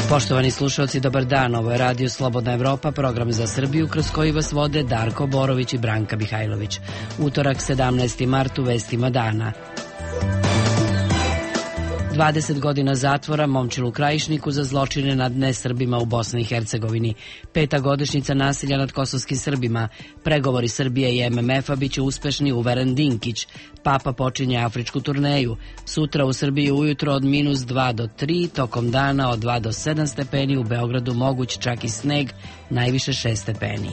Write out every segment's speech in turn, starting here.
Poštovani slušalci, dobar dan. Ovo je Radio Slobodna Evropa, program za Srbiju kroz koji vas vode Darko Borović i Branka Mihajlović. Utorak, 17. mart, u vestima dana. 20 godina zatvora Momčilu Krajišniku za zločine nad nesrbima u Bosni i Hercegovini. 5. godišnjica nasilja nad kosovskim Srbima. Pregovori Srbije i MMF-a biće uspešni, uveren Dinkić. Papa počinje afričku turneju. Sutra u Srbiji ujutro od -2 do 3, tokom dana od 2 do 7 stepeni, u Beogradu moguć čak i sneg, najviše 6 stepeni.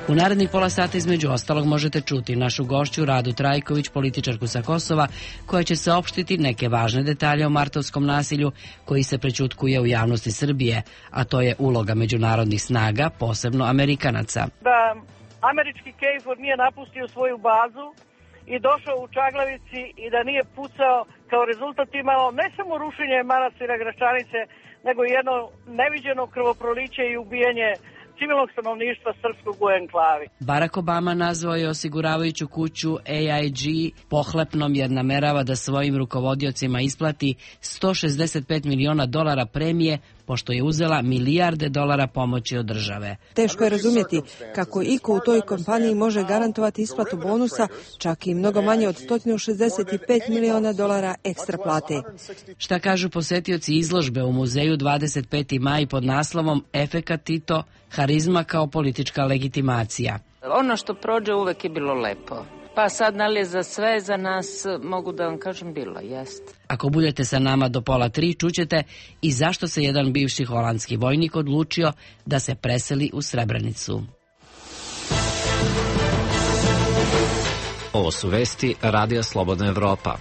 U narednih pola sata između ostalog možete čuti našu gošću Radu Trajković, političarku sa Kosova, koja će saopštiti neke važne detalje o martovskom nasilju koji se prećutkuje u javnosti Srbije, a to je uloga međunarodnih snaga, posebno Amerikanaca. Da američki KFOR nije napustio svoju bazu i došao u Čaglavici i da nije pucao, kao rezultat imalo ne samo rušenje manastira Gračanice, nego jedno neviđeno krvoproliće i ubijanje civilnog stanovništva srpskog u enklavi. Barack Obama nazvao je osiguravajuću kuću AIG pohlepnom jer namerava da svojim rukovodiocima isplati $165 miliona premije pošto je uzela milijarde dolara pomoći od države. Teško je razumjeti kako iko u toj kompaniji može garantovati isplatu bonusa, čak i mnogo manje od $165 miliona ekstra plate. Šta kažu posetioci izložbe u muzeju 25. maj pod naslovom Efekat Tito, harizma kao politička legitimacija. Ono što prođe uvek je bilo lepo. Pa sad, je za sve, za nas, mogu da vam kažem, bilo, jest. Ako budete sa nama do 2:30, čućete i zašto se jedan bivši holandski vojnik odlučio da se preseli u Srebrenicu. Ovo su vesti Radija Slobodna Evropa.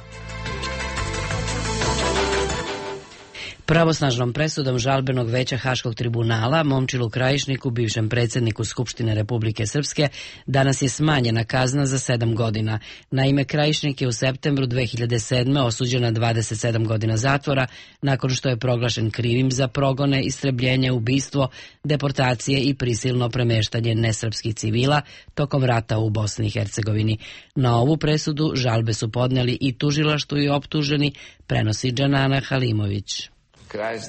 Pravosnažnom presudom žalbenog veća Haškog tribunala Momčilu Krajišniku, bivšem predsjedniku Skupštine Republike Srpske, danas je smanjena kazna za 7 godina. Naime, Krajišnik je u septembru 2007. osuđen na 27 godina zatvora nakon što je proglašen krivim za progone, istrebljenje, ubistvo, deportacije i prisilno premeštanje nesrpskih civila tokom rata u Bosni i Hercegovini. Na ovu presudu žalbe su podneli i tužilaštvo i optuženi, prenosi Džanana Halimović.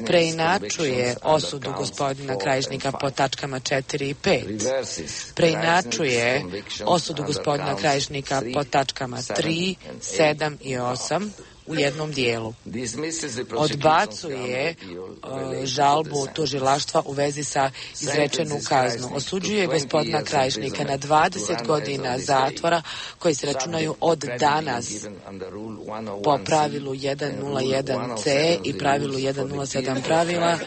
Preinačuje osudu gospodina Krajišnika po tačkama 4 i 5. Preinačuje osudu gospodina Krajišnika po tačkama 3, 7 i 8 u jednom dijelu. Odbacuje žalbu tužilaštva u vezi sa izrečenu kaznu. Osuđuje gospodina Krajišnika na 20 godina zatvora koji se računaju od danas po pravilu 101C i pravilu 107 pravila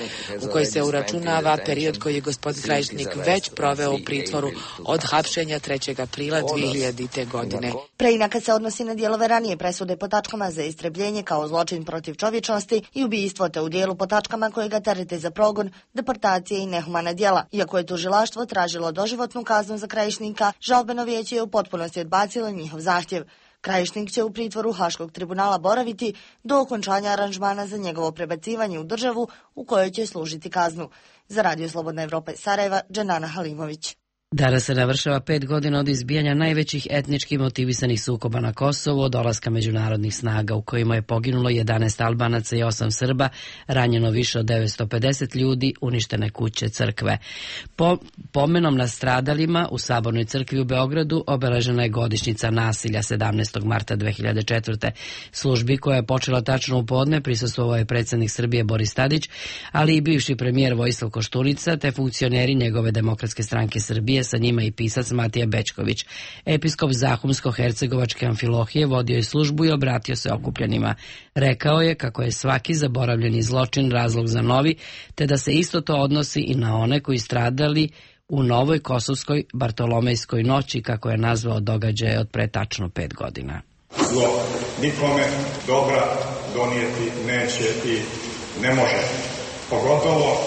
u koji se uračunava period koji je gospodin Krajišnik već proveo u pritvoru od hapšenja 3. aprila 2000. godine. Preinaka se odnosi na dijelove ranije presude po tačkama za istrebljenje kao zločin protiv čovječnosti i ubistvo, te u dijelu po tačkama koje ga terete za progon, deportacije i nehumana djela. Iako je tužilaštvo tražilo doživotnu kaznu za Krajišnika, žalbeno vijeće je u potpunosti odbacilo njihov zahtjev. Krajišnik će u pritvoru Haškog tribunala boraviti do okončanja aranžmana za njegovo prebacivanje u državu u kojoj će služiti kaznu. Za Radio Slobodna Evropa iz Sarajeva, Džanana Halimović. Danas se navršava 5 godina od izbijanja najvećih etnički motivisanih sukoba na Kosovu, od dolaska međunarodnih snaga u kojima je poginulo 11 Albanaca i 8 Srba, ranjeno više od 950 ljudi, uništene kuće, crkve. Pomenom na stradalima u Sabornoj crkvi u Beogradu obeležena je godišnjica nasilja 17. marta 2004. Službi koja je počela tačno u podne prisustvovao je predsjednik Srbije Boris Tadić, ali i bivši premijer Vojislav Koštunica, te funkcioneri njegove Demokratske stranke Srbije, sa njima i pisac Matija Bečković. Episkop Zahumsko-Hercegovačke Amfilohije vodio je službu i obratio se okupljenima. Rekao je kako je svaki zaboravljeni zločin razlog za novi, te da se isto to odnosi i na one koji stradali u novoj kosovskoj Bartolomejskoj noći, kako je nazvao događaje od pre tačno 5 godina. Zlo nikome dobra donijeti neće i ne može. Pogotovo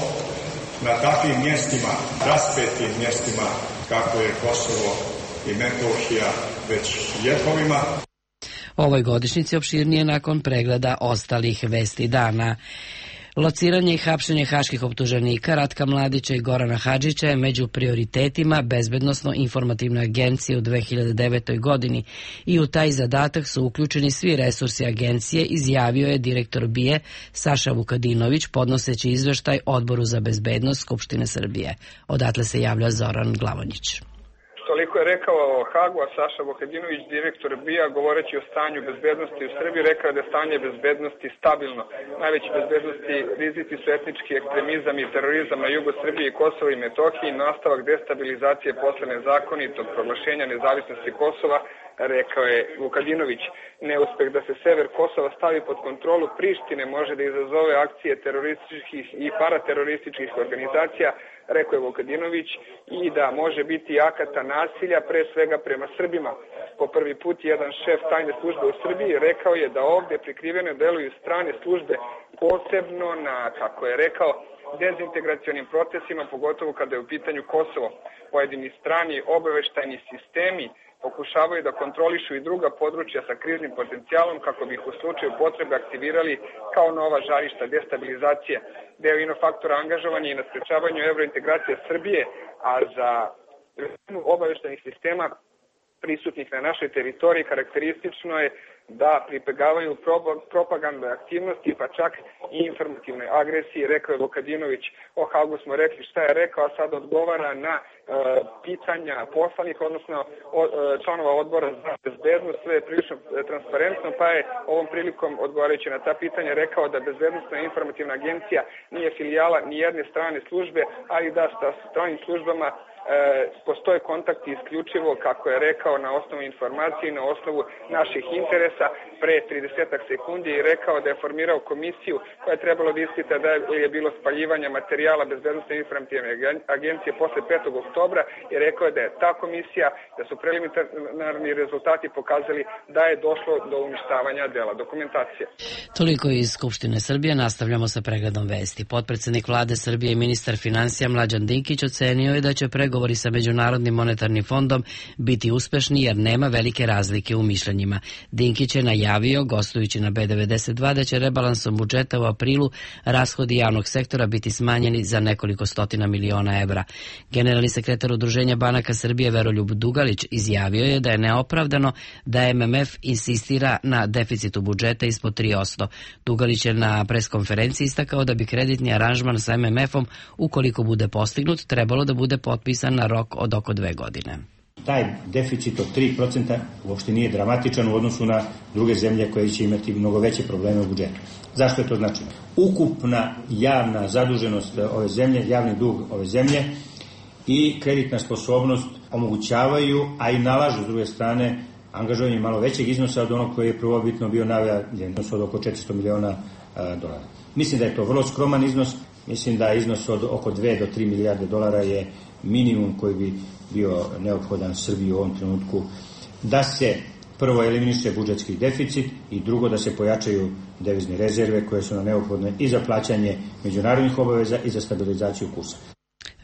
na takvim mjestima, raspetim mjestima, kako je Kosovo i Metohija već vjekovima. Ovoj godišnjici opširnije nakon pregleda ostalih vesti dana. Lociranje i hapšenje haških optuženika Ratka Mladića i Gorana Hadžića je među prioritetima Bezbednosno-informativne agencije u 2009. godini i u taj zadatak su uključeni svi resursi agencije, izjavio je direktor BIA Saša Vukadinović podnoseći izveštaj Odboru za bezbednost Skupštine Srbije. Odatle se javlja Zoran Glavonjić. Toliko je rekao o Hagu, a Saša Vukadinović, direktor BIA, govoreći o stanju bezbednosti u Srbiji, rekao je da je stanje bezbednosti stabilno. Najveći bezbednosti rizici su etnički ekstremizam i terorizam na jugu Srbije i Kosova i Metohiji, nastavak destabilizacije posle nezakonitog proglašenja nezavisnosti Kosova, rekao je Vukadinović. Neuspeh da se sever Kosova stavi pod kontrolu Prištine može da izazove akcije terorističkih i paraterorističkih organizacija, rekao je Vukadinović, i da može biti akata nasilja, pre svega prema Srbima. Po prvi put jedan šef tajne službe u Srbiji rekao je da ovde prikriveno deluju strane službe, posebno na, kako je rekao, dezintegracionim procesima, pogotovo kada je u pitanju Kosovo. Pojedini strani obaveštajni sistemi pokušavaju da kontrolišu i druga područja sa kriznim potencijalom kako bi ih u slučaju potrebe aktivirali kao nova žarišta destabilizacije. Deo inofaktora angažovanja i na sprečavanju evrointegracije Srbije, a za obaveštajnih sistema prisutnih na našoj teritoriji karakteristično je da pribegavaju propagandne aktivnosti, pa čak i informativne agresije, rekao je Vukadinović. O Hagu smo rekli šta je rekao, a sad odgovara na pitanja poslanika, odnosno članova odbora za bezbednost. Sve je prilično transparentno, pa je ovom prilikom odgovarajući na ta pitanja rekao da Bezbednosna informativna agencija nije filijala ni jedne strane službe, ali da sa stranim službama postoje kontakti isključivo, kako je rekao, na osnovu informacije i na osnovu naših interesa. Pre 30 sekundi je rekao da je formirao komisiju koja je trebalo da ispita da je bilo spaljivanja materijala Bezbednosne informativne agencije posle 5. oktobra i rekao je da je ta komisija, da su preliminarni rezultati pokazali da je došlo do uništavanja dela dokumentacije. Toliko iz Skupštine Srbije. Nastavljamo sa pregledom vesti. Potpredsednik Vlade Srbije i ministar finansija Mlađan Dinkić ocenio je da će pregovori sa Međunarodnim monetarnim fondom biti uspešni jer nema velike razlike u mišljenjima. Dinkić je najavio, gostujući na B92, da će rebalansom budžeta u aprilu rashodi javnog sektora biti smanjeni za nekoliko stotina miliona evra. Generalni sekretar Udruženja banaka Srbije Veroljub Dugalić izjavio je da je neopravdano da MMF insistira na deficitu budžeta ispod 3%. Dugalić je na preskonferenciji istakao da bi kreditni aranžman sa MMF-om, ukoliko bude postignut, trebalo da bude potpisan na rok od oko 2 godine. Taj deficit od 3% uopšte nije dramatičan u odnosu na druge zemlje koje će imati mnogo veće probleme u budžetu. Zašto je to značajno? Ukupna javna zaduženost ove zemlje, javni dug ove zemlje i kreditna sposobnost omogućavaju, a i nalažu s druge strane angažovanje malo većeg iznosa od onog koji je prvobitno bio najavljen, od oko 400 miliona dolara. Mislim da je to vrlo skroman iznos, mislim da iznos od oko 2 do 3 milijarde dolara je minimum koji bi bio neophodan Srbiji u ovom trenutku da se prvo eliminiše budžetski deficit i drugo da se pojačaju devizne rezerve koje su nam neophodne i za plaćanje međunarodnih obaveza i za stabilizaciju kursa.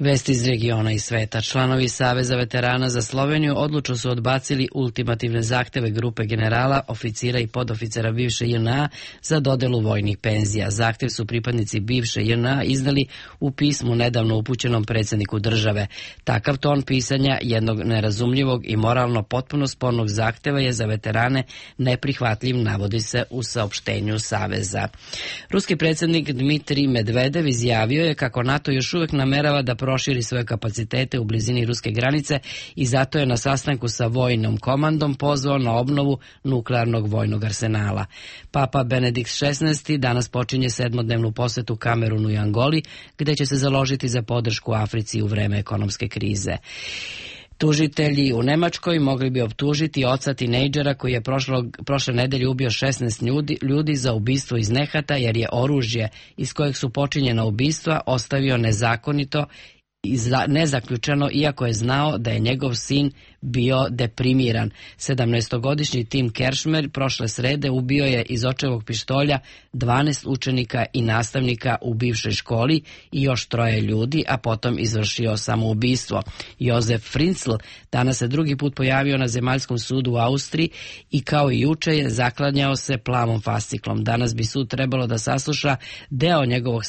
Vesti iz regiona i sveta. Članovi Saveza veterana za Sloveniju odlučno su odbacili ultimativne zahteve grupe generala, oficira i podoficera bivše JNA za dodelu vojnih penzija. Zahtev su pripadnici bivše JNA iznali u pismu nedavno upućenom predsjedniku države. Takav ton pisanja jednog nerazumljivog i moralno potpuno spornog zahteva je za veterane neprihvatljiv, navodi se u saopštenju Saveza. Ruski predsjednik Dmitrij Medvedev izjavio je kako NATO još uvek namerava da proširi svoje kapacitete u blizini ruske granice i zato je na sastanku sa vojnom komandom pozvao na obnovu nuklearnog vojnog arsenala. Papa Benedikt XVI danas počinje 7-dnevnu posetu Kamerunu i Angoli, gde će se založiti za podršku Africi u vreme ekonomske krize. Tužitelji u Nemačkoj mogli bi optužiti oca tinejdžera koji je prošle nedelje ubio 16 ljudi za ubistvo iz nehata jer je oružje iz kojeg su počinjena ubistva ostavio nezakonito i nezaključeno, iako je znao da je njegov sin bio deprimiran. 17-godišnji Tim Kershmer prošle srede ubio je iz očevog pištolja 12 učenika i nastavnika u bivšoj školi i još 3 ljudi, a potom izvršio samoubistvo. Jozef Fritzl danas se drugi put pojavio na zemaljskom sudu u Austriji i kao i juče je zaklanjao se plavom fasciklom. Danas bi sud trebalo da sasluša deo njegovog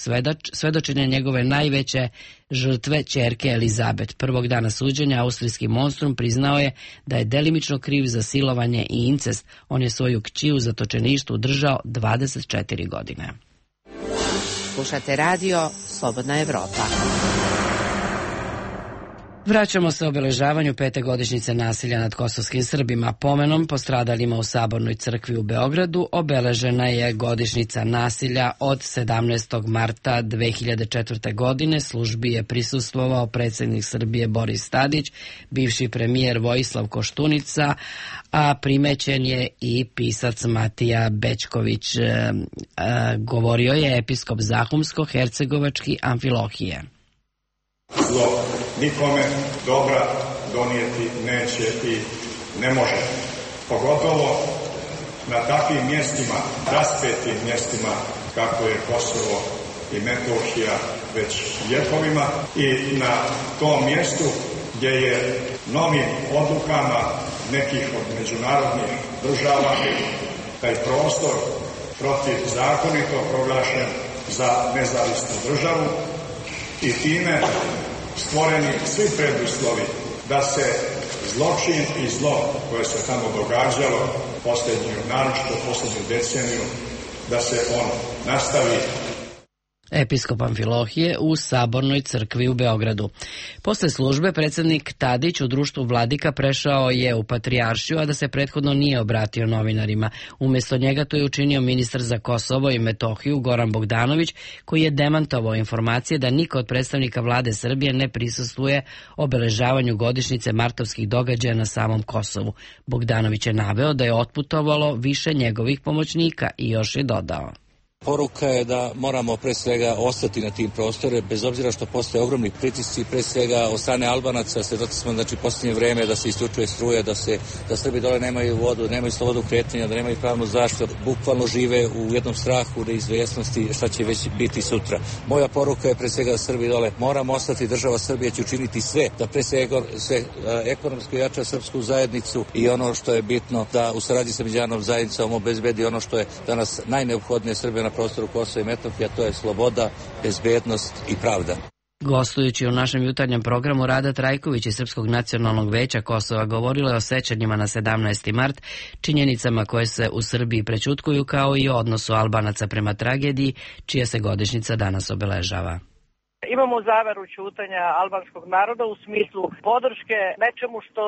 svedočenja njegove najveće žrtve, ćerke Elizabet. Prvog dana suđenja austrijski monstrum priznao je da je delimično kriv za silovanje i incest. On je svoju kći u zatočeništvu držao 24 godine. Slušate radio Slobodna Evropa. Vraćamo se obeležavanju 5. godišnjice nasilja nad kosovskim Srbima. Pomenom postradalima u Sabornoj crkvi u Beogradu obeležena je godišnjica nasilja od 17. marta 2004. godine. Službi je prisustvovao predsjednik Srbije Boris Tadić, bivši premijer Vojislav Koštunica, a primećen je i pisac Matija Bećković. Govorio je episkop Zahumsko-hercegovački Amfilohije. Zlo nikome dobra donijeti neće i ne može. Pogotovo na takvim mjestima, raspetim mjestima kako je Kosovo i Metohija već vjekovima i na tom mjestu gdje je novim odlukama nekih od međunarodnih država taj prostor protivzakonito proglašen za nezavisnu državu i time stvoreni svi preduslovi da se zločin i zlo koje se tamo događalo naročito posljednju deceniju, da se on nastavi. Episkop Amfilohije u Sabornoj crkvi u Beogradu. Posle službe predsjednik Tadić u društvu vladika prešao je u Patrijaršiju, a da se prethodno nije obratio novinarima. Umjesto njega to je učinio ministar za Kosovo i Metohiju Goran Bogdanović, koji je demantovao informacije da niko od predstavnika vlade Srbije ne prisustvuje obeležavanju godišnjice martovskih događaja na samom Kosovu. Bogdanović je naveo da je otputovalo više njegovih pomoćnika i još je dodao. Poruka je da moramo pre svega ostati na tim prostore, bez obzira što postoje ogromni pritisci, pre svega od strane Albanaca. Svedoci smo posljednje vreme da se isključuje struje, da Srbi dole nemaju vodu, nemaju slobodu kretanja, da nemaju pravnu zaštitu, bukvalno žive u jednom strahu, neizvjesnosti šta će već biti sutra. Moja poruka je pre svega da Srbi dole moramo ostati, država Srbije će učiniti sve da pre svega ekonomski jača srpsku zajednicu i ono što je bitno da u saradnji sa međunarodnom zajednicom obezbedi ono što je danas najneophodnije Srbije na prostoru Kosova i Metohije, a to je sloboda, bezbednost i pravda. Gostujući u našem jutarnjem programu, Rada Trajković iz Srpskog nacionalnog veća Kosova govorila je o sećanjima na 17. mart, činjenicama koje se u Srbiji prećutkuju, kao i o odnosu Albanaca prema tragediji, čija se godišnjica danas obeležava. Imamo zaveru ćutanja albanskog naroda u smislu podrške nečemu što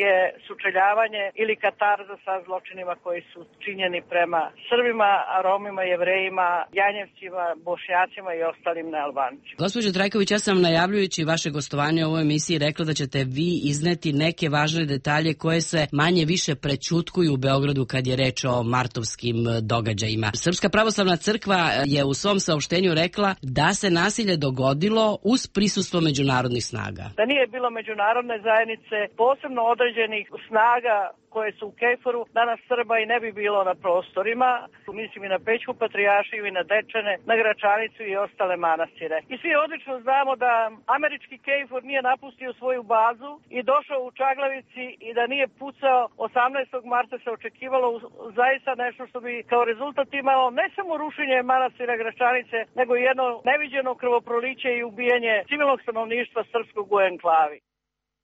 je sučeljavanje ili katarza sa zločinima koji su činjeni prema Srbima, Romima, Jevrejima, Janjevcima, Bošnjacima i ostalim nealbancima. Gospođo Trajković, ja sam najavljujući vaše gostovanje u ovoj emisiji rekla da ćete vi izneti neke važne detalje koje se manje više prećutkuju u Beogradu kad je reč o martovskim događajima. Srpska pravoslavna crkva je u svom saopštenju rekla da se nasilje dogodilo uz prisustvo međunarodnih snaga. Da nije bilo međunarodne zajednice, posebno određenih snaga koje su u Kejforu, danas Srba i ne bi bilo na prostorima. Mislim i na Pećku Patrijaršiju i na Dečane, na Gračanicu i ostale manastire. I svi odlično znamo da američki Kejfor nije napustio svoju bazu i došao u Čaglavici i da nije pucao 18. marta se očekivalo zaista nešto što bi kao rezultat imalo ne samo rušenje manastira Gračanice, nego i jedno neviđeno krvoproliće i ubijanje civilnog stanovništva srpskog u enklavi.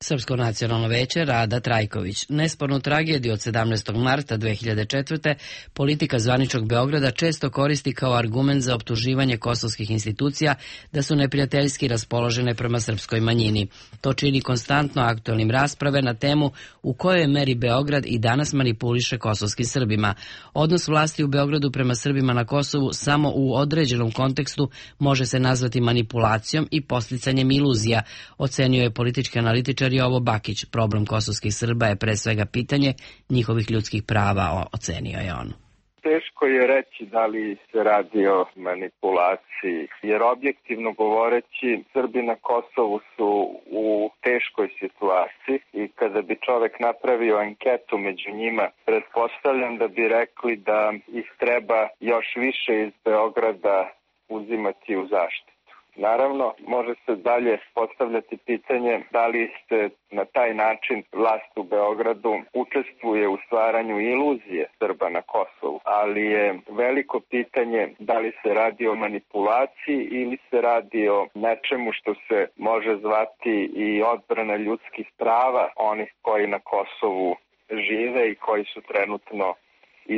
Srpsko nacionalno veće Rada Trajković. Nespornu tragediju od 17. marta 2004. politika zvaničnog Beograda često koristi kao argument za optuživanje kosovskih institucija da su neprijateljski raspoložene prema srpskoj manjini. To čini konstantno aktuelnim rasprave na temu u kojoj meri Beograd i danas manipuliše kosovskim Srbima. Odnos vlasti u Beogradu prema Srbima na Kosovu samo u određenom kontekstu može se nazvati manipulacijom i podsticanjem iluzija, ocenio je politički analitičar Jovo Bakić. Problem kosovskih Srba je pre svega pitanje njihovih ljudskih prava, ocenio je on. teško je reći da li se radi o manipulaciji, jer objektivno govoreći Srbi na Kosovu su u teškoj situaciji i kada bi čovek napravio anketu među njima, pretpostavljam da bi rekli da ih treba još više iz Beograda uzimati u zaštitu. Naravno, može se dalje postavljati pitanje da li se na taj način vlast u Beogradu učestvuje u stvaranju iluzije Srba na Kosovu, ali je veliko pitanje da li se radi o manipulaciji ili se radi o nečemu što se može zvati i odbrana ljudskih prava onih koji na Kosovu žive i koji su trenutno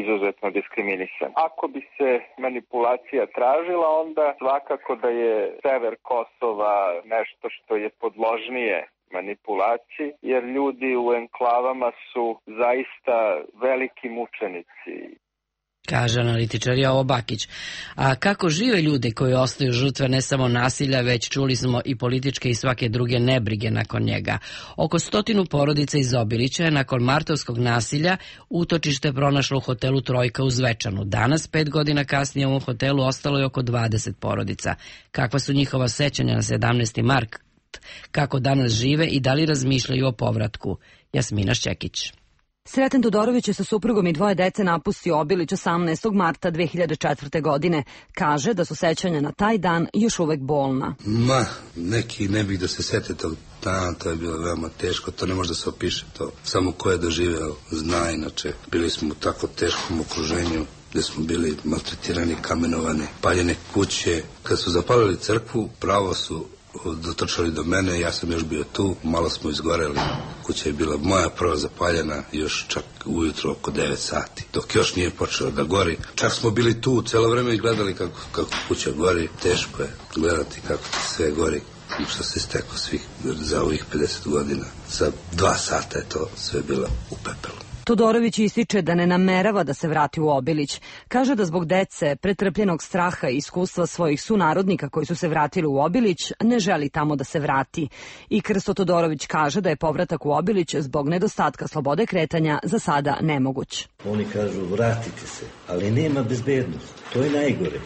izuzetno diskriminisan. Ako bi se manipulacija tražila, onda svakako da je sever Kosova nešto što je podložnije manipulaciji, jer ljudi u enklavama su zaista veliki mučenici. Kaže analitičar Jovo Bakić. A kako žive ljudi koji ostaju žrtve ne samo nasilja, već čuli smo i političke i svake druge nebrige nakon njega. Oko 100 porodica iz Obilića je nakon martovskog nasilja utočište pronašlo u hotelu Trojka u Zvečanu. Danas, 5 godina kasnije, u ovom hotelu ostalo je oko 20 porodica. Kakva su njihova sećanja na 17. mart? Kako danas žive i da li razmišljaju o povratku? Jasmina Šćekić. Sreten Todorović je sa suprugom i 2 dece napustio Obilić 18. marta 2004. godine. Kaže da su sećanja na taj dan još uvek bolna. Neki ne bih da se sete tog dana, to je bilo veoma teško, to ne može da se opiše, to samo ko je doživeo zna, inače bili smo u tako teškom okruženju gde smo bili maltretirani, kamenovani, paljene kuće. Kad su zapalili crkvu, pravo su dotrčali do mene, ja sam još bio tu, malo smo izgoreli, kuća je bila moja prva zapaljena još čak ujutro oko 9 sati, dok još nije počelo da gori. Čak smo bili tu celo vreme i gledali kako kuća gori, teško je gledati kako sve gori, što se steklo svih za ovih 50 godina. Za 2 sata je to sve bilo u pepelu. Todorović ističe da ne namerava da se vrati u Obilić. Kaže da zbog dece, pretrpljenog straha i iskustva svojih sunarodnika koji su se vratili u Obilić, ne želi tamo da se vrati. I Krsto Todorović kaže da je povratak u Obilić zbog nedostatka slobode kretanja za sada nemoguć. Oni kažu vratite se, ali nema bezbednost. To je najgore.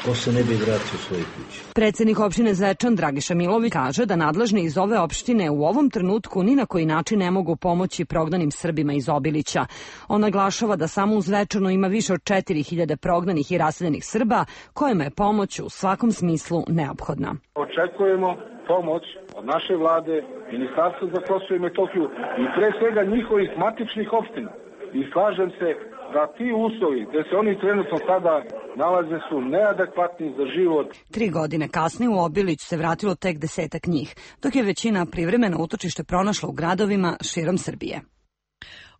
Ko se ne bi vratio u svoje kuće. Predsednik opštine Zvečan Dragiša Milović kaže da nadležni iz ove opštine u ovom trenutku ni na koji način ne mogu pomoći prognanim Srbima iz Obilića. On naglašava da samo u Zvečanu ima više od 4000 prognanih i raseljenih Srba, kojima je pomoć u svakom smislu neophodna. Očekujemo pomoć od naše vlade, Ministarstva za Kosovo i Metohiju i pre svega njihovih matičnih opština. I slažem se da ti uslovi gde se oni trenutno sada nalaze su neadekvatni za život. 3 godine kasnije u Obilić se vratilo tek 10-ak njih, dok je većina privremeno utočište pronašla u gradovima širom Srbije.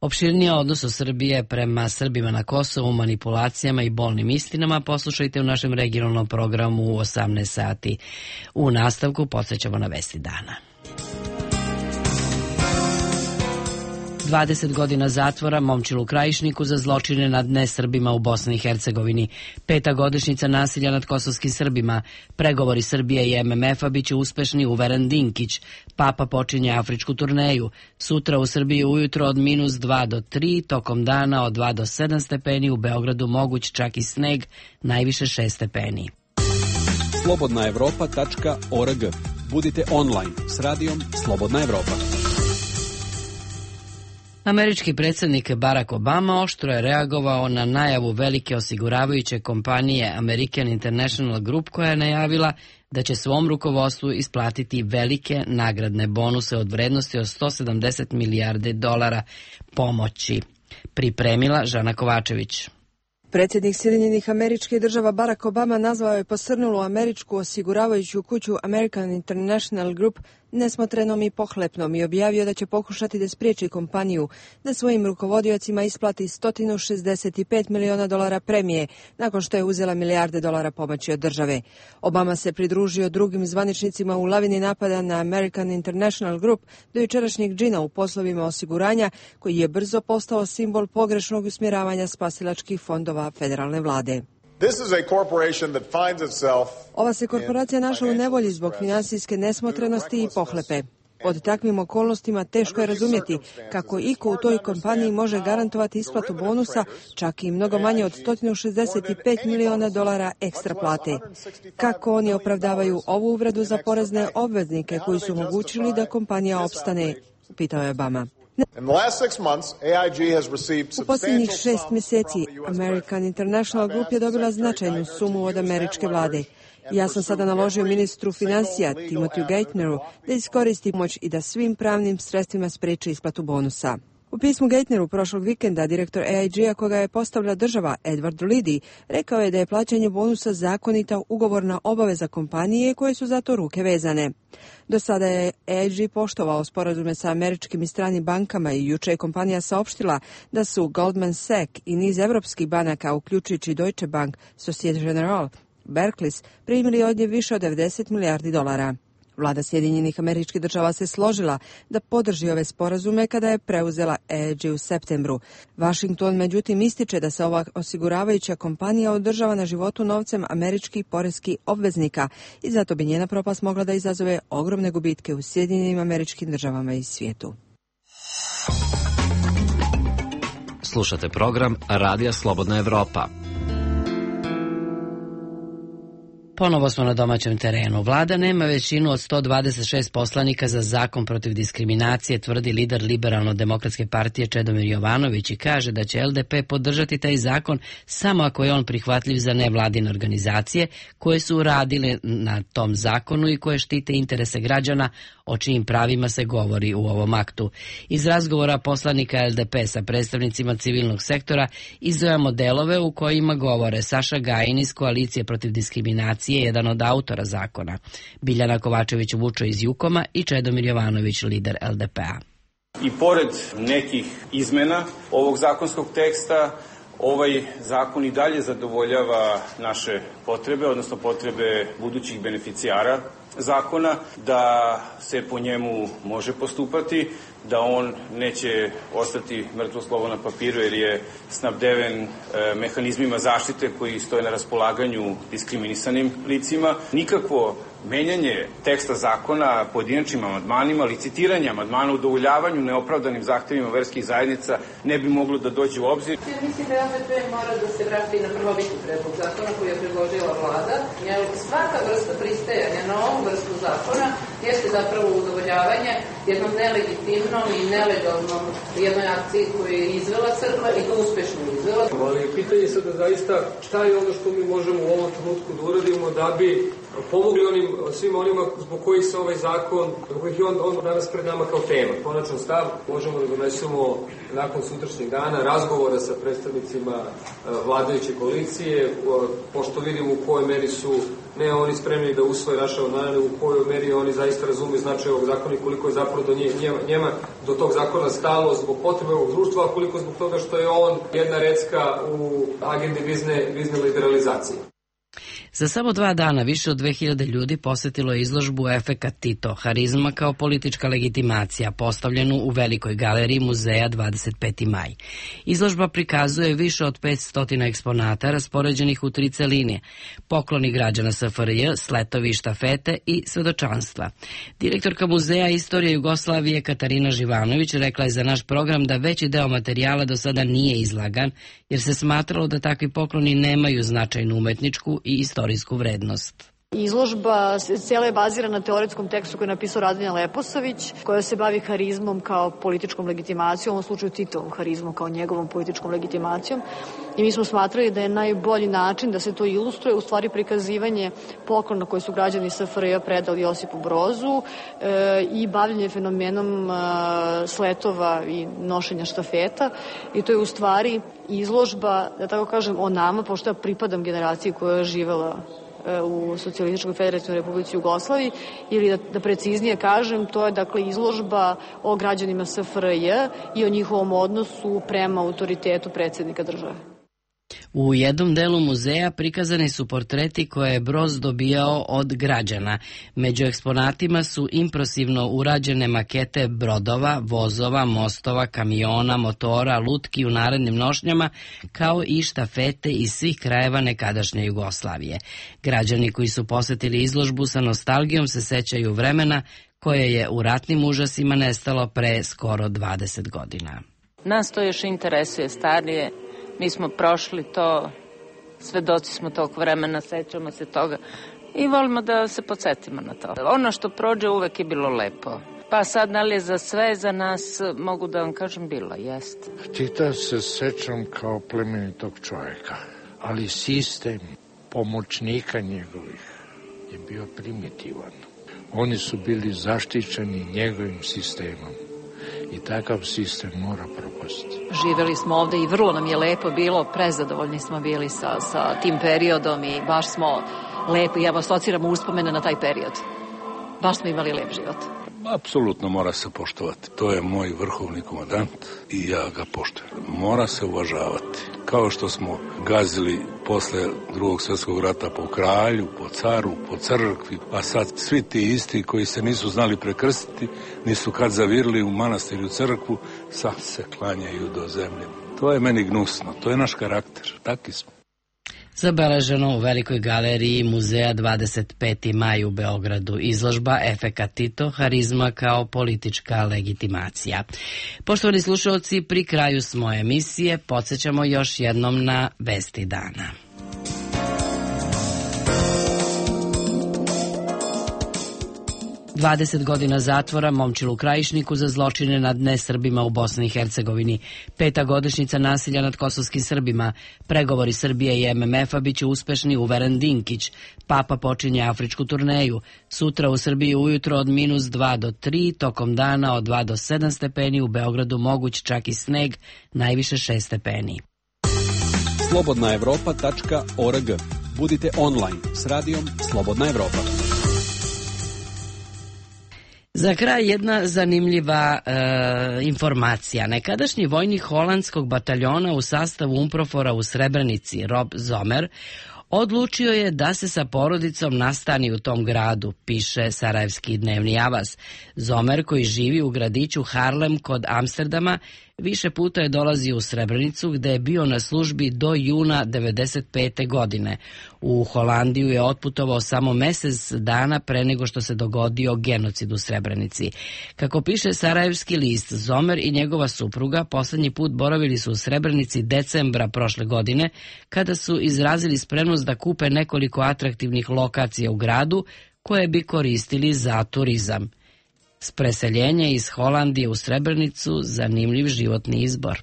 Opširnije odnosu Srbije prema Srbima na Kosovu, manipulacijama i bolnim istinama poslušajte u našem regionalnom programu u 18 sati. U nastavku podsjećamo na vesti dana. 20 godina zatvora Momčilu Krajišniku za zločine nad nesrbima u Bosni i Hercegovini. 5. godišnjica nasilja nad kosovskim Srbima. Pregovori Srbije i MMF-a biće uspešni, uveren Dinkić. Papa počinje afričku turneju. Sutra u Srbiji ujutro od -2 do 3, tokom dana od 2 do 7 stepeni, u Beogradu moguć čak i sneg, najviše 6 stepeni. slobodnaevropa.org. Budite online s radijom Slobodna Evropa. Američki predsjednik Barack Obama oštro je reagovao na najavu velike osiguravajuće kompanije American International Group, koja je najavila da će svom rukovodstvu isplatiti velike nagradne bonuse od vrednosti od $170 milijardi pomoći. Pripremila Žana Kovačević. Predsjednik Sjedinjenih Američkih Država Barack Obama nazvao je posrnulu američku osiguravajuću kuću American International Group nesmotrenom i pohlepnom i objavio da će pokušati da spriječi kompaniju da svojim rukovodiocima isplati $165 miliona premije nakon što je uzela milijarde dolara pomoći od države. Obama se pridružio drugim zvaničnicima u lavini napada na American International Group do jučerašnjeg džina u poslovima osiguranja, koji je brzo postao simbol pogrešnog usmjeravanja spasilačkih fondova federalne vlade. Ova se korporacija našla u nevolji zbog finansijske nesmotrenosti i pohlepe. Pod takvim okolnostima teško je razumjeti kako iko u toj kompaniji može garantovati isplatu bonusa, čak i mnogo manje od $165 miliona ekstra plate. Kako oni opravdavaju ovu uvredu za porezne obveznike koji su omogućili da kompanija opstane, pitao je Obama. U posljednjih 6 mjeseci American International Group je dobila značajnu sumu od američke vlade. Ja sam sada naložio ministru financija Timothyu Geithneru da iskoristi pomoć i da svim pravnim sredstvima spriječi isplatu bonusa. U pismu Geithneru prošlog vikenda direktor AIG-a koga je postavila država Edward Liddy rekao je da je plaćanje bonusa zakonita ugovorna obaveza kompanije koje su za to ruke vezane. Do sada je AIG poštovao sporazume sa američkim i stranim bankama i juče je kompanija saopštila da su Goldman Sachs i niz evropskih banaka, uključujući Deutsche Bank, Societe Generale, Barclays, primili od nje više od $90 milijardi. Vlada Sjedinjenih Američkih Država se složila da podrži ove sporazume kada je preuzela AIG u septembru. Washington međutim ističe da se ova osiguravajuća kompanija održava na životu novcem američkih poreskih obveznika i zato bi njena propast mogla da izazove ogromne gubitke u Sjedinjenim Američkim Državama i svijetu. Slušate program Radija Slobodna Evropa. Ponovo smo na domaćem terenu. Vlada nema većinu od 126 poslanika za zakon protiv diskriminacije, tvrdi lider Liberalno-demokratske partije Čedomir Jovanović i kaže da će LDP podržati taj zakon samo ako je on prihvatljiv za nevladine organizacije koje su radile na tom zakonu i koje štite interese građana, o čijim pravima se govori u ovom aktu. Iz razgovora poslanika LDP sa predstavnicima civilnog sektora izdvajamo delove u kojima govore Saša Gajin iz Koalicije protiv diskriminacije, jedan od autora zakona, Biljana Kovačević-Vučo iz Jukoma i Čedomir Jovanović, lider LDP-a. I pored nekih izmena ovog zakonskog teksta, ovaj zakon i dalje zadovoljava naše potrebe, odnosno potrebe budućih beneficijara zakona, da se po njemu može postupati, da on neće ostati mrtvo slovo na papiru jer je snabdeven mehanizmima zaštite koji stoje na raspolaganju diskriminisanim licima. Nikakvo menjanje teksta zakona pojedinačnim amandmanima, licitiranje amandmana, udovoljavanju neopravdanim zahtevima verskih zajednica ne bi moglo da dođe u obzir. Ja mislim da LDP mora da se vrati na prvobitni predlog zakona koji je predložila vlada, jer svaka vrsta pristajanja na ovu vrstu zakona jeste zapravo udovoljavanje jednom nelegitimnom i nelegalnom jednoj akciji koju je izvela crkva i to uspešno izvela. Ali pitanje je sada zaista šta je ono što mi možemo u ovom trenutku da uradimo da bi pomogli svim onima zbog kojih se ovaj zakon, zbog kojih je on danas pred nama kao tema. Konačan stav možemo da donesemo nakon sutrašnjeg dana razgovora sa predstavnicima vladajuće koalicije, pošto vidimo u kojoj meri su ne oni spremni da usvoje naše amandmane, u kojoj meri oni zaista razumiju značaj ovog zakona i koliko je zapravo njema do tog zakona stalo zbog potrebe ovog društva, a koliko zbog toga što je on jedna recka u agendi vizne liberalizacije. Za samo 2 dana više od 2000 ljudi posjetilo je izložbu Efekat Tito, harizma kao politička legitimacija, postavljenu u Velikoj galeriji muzeja 25. maj. Izložba prikazuje više od 500 eksponata raspoređenih u 3 celine, pokloni građana SFRJ, sletovi i štafete i svedočanstva. Direktorka Muzeja istorije Jugoslavije Katarina Živanović rekla je za naš program da veći deo materijala do sada nije izlagan, jer se smatralo da takvi pokloni nemaju značajnu umetničku i istorijsku vrednost. Izložba cijela je bazirana na teoretskom tekstu koji je napisao Radmila Leposavić, koja se bavi harizmom kao političkom legitimacijom, u ovom slučaju Titovom harizmom kao njegovom političkom legitimacijom. I mi smo smatrali da je najbolji način da se to ilustruje u stvari prikazivanje poklona koje su građani SFRJ predali Josipu Brozu i bavljanje fenomenom sletova i nošenja štafeta. I to je u stvari izložba, da tako kažem, o nama, pošto ja pripadam generaciji koja je živela u Socijalističkoj federativnoj Republici Jugoslaviji, ili da preciznije kažem, to je dakle izložba o građanima SFRJ i o njihovom odnosu prema autoritetu predsjednika države. U jednom delu muzeja prikazani su portreti koje je Broz dobijao od građana. Među eksponatima su impresivno urađene makete brodova, vozova, mostova, kamiona, motora, lutki u narednim nošnjama, kao i štafete iz svih krajeva nekadašnje Jugoslavije. Građani koji su posjetili izložbu sa nostalgijom se sećaju vremena koje je u ratnim užasima nestalo pre skoro 20 godina. Nas to još interesuje starije, mi smo prošli to, svedoci smo tog vremena, sećamo se toga i volimo da se podsjetimo na to. Ono što prođe uvek je bilo lepo. Pa sad, da li je za sve, za nas, mogu da vam kažem, bilo, jest. Tita se sećam kao plemenitog čovjeka, ali sistem pomoćnika njegovih je bio primitivan. Oni su bili zaštićeni njegovim sistemom i takav sistem mora propasti. Živeli smo ovde i vrlo nam je lepo bilo, prezadovoljni smo bili sa tim periodom i baš smo lepo, ja vas asociram uspomene na taj period. Baš smo imali lep život. Apsolutno mora se poštovati. To je moj vrhovni komandant i ja ga poštujem. Mora se uvažavati. Kao što smo gazili posle Drugog svjetskog rata po kralju, po caru, po crkvi, a sad svi ti isti koji se nisu znali prekrstiti, nisu kad zavirili u manastir i u crkvu, sad se klanjaju do zemlje. To je meni gnusno, to je naš karakter, taki smo. Zabeleženo u Velikoj galeriji muzeja 25. maj u Beogradu, izložba Efekat Tito, harizma kao politička legitimacija. Poštovani slušalci, pri kraju smo emisije, podsjećamo još jednom na vesti dana. Dvadeset godina zatvora Momčilu Krajišniku za zločine nad nesrbima u Bosni i Hercegovini. 5. godišnjica nasilja nad kosovskim Srbima. Pregovori Srbije i MMF-a biće uspešni, uveren Dinkić. Papa počinje afričku turneju. Sutra u Srbiji ujutro od -2 do 3, tokom dana od 2 do 7 stepeni, u Beogradu moguć čak i sneg, najviše 6 stepeni. slobodnaevropa.org. Budite online s radijom Slobodna Evropa. Za kraj jedna zanimljiva informacija. Nekadašnji vojnik holandskog bataljona u sastavu UNPROFOR-a u Srebrenici, Rob Zomer, odlučio je da se sa porodicom nastani u tom gradu, piše sarajevski dnevni Avaz. Zomer, koji živi u gradiću Harlem kod Amsterdama, više puta je dolazio u Srebrenicu, gde je bio na službi do juna 1995. godine. U Holandiju je otputovao samo mesec dana pre nego što se dogodio genocid u Srebrenici. Kako piše sarajevski list, Zomer i njegova supruga poslednji put boravili su u Srebrenici decembra prošle godine, kada su izrazili spremnost da kupe nekoliko atraktivnih lokacija u gradu koje bi koristili za turizam. S preseljenja iz Holandije u Srebrenicu zanimljiv životni izbor.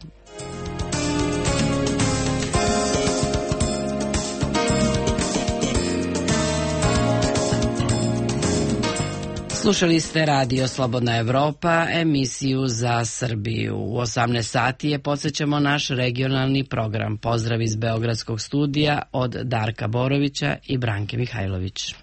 Slušali ste Radio Slobodna Evropa, emisiju za Srbiju. U 18 sati je podsjećamo naš regionalni program. Pozdrav iz Beogradskog studija od Darka Borovića i Branke Mihajlović.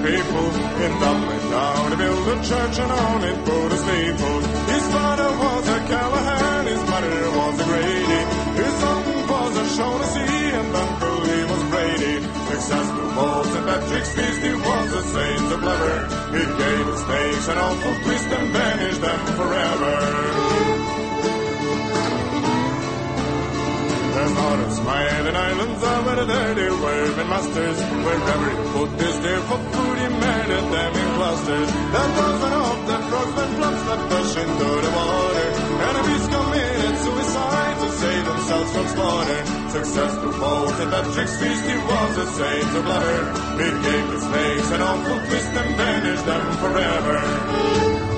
People in Dublin now to build a church and on it put a steeple. His father was a Callahan, his mother was a Grady. His uncle was a Shaughnessy and uncle he was Brady. Successful both St. Patrick's feast, he was a saint of clever. He gave his snakes an awful twist and banished them forever. There's not a smiling islands over there they were been masters. Wherever he put his deer for food, he murdered them in clusters. That dozen of the frogs that flops that push into the water. Enemies committed suicide to save themselves from slaughter. Successful both at Patrick's feast, he was a saint of blubber. He gave the snakes an awful twist and banished them forever.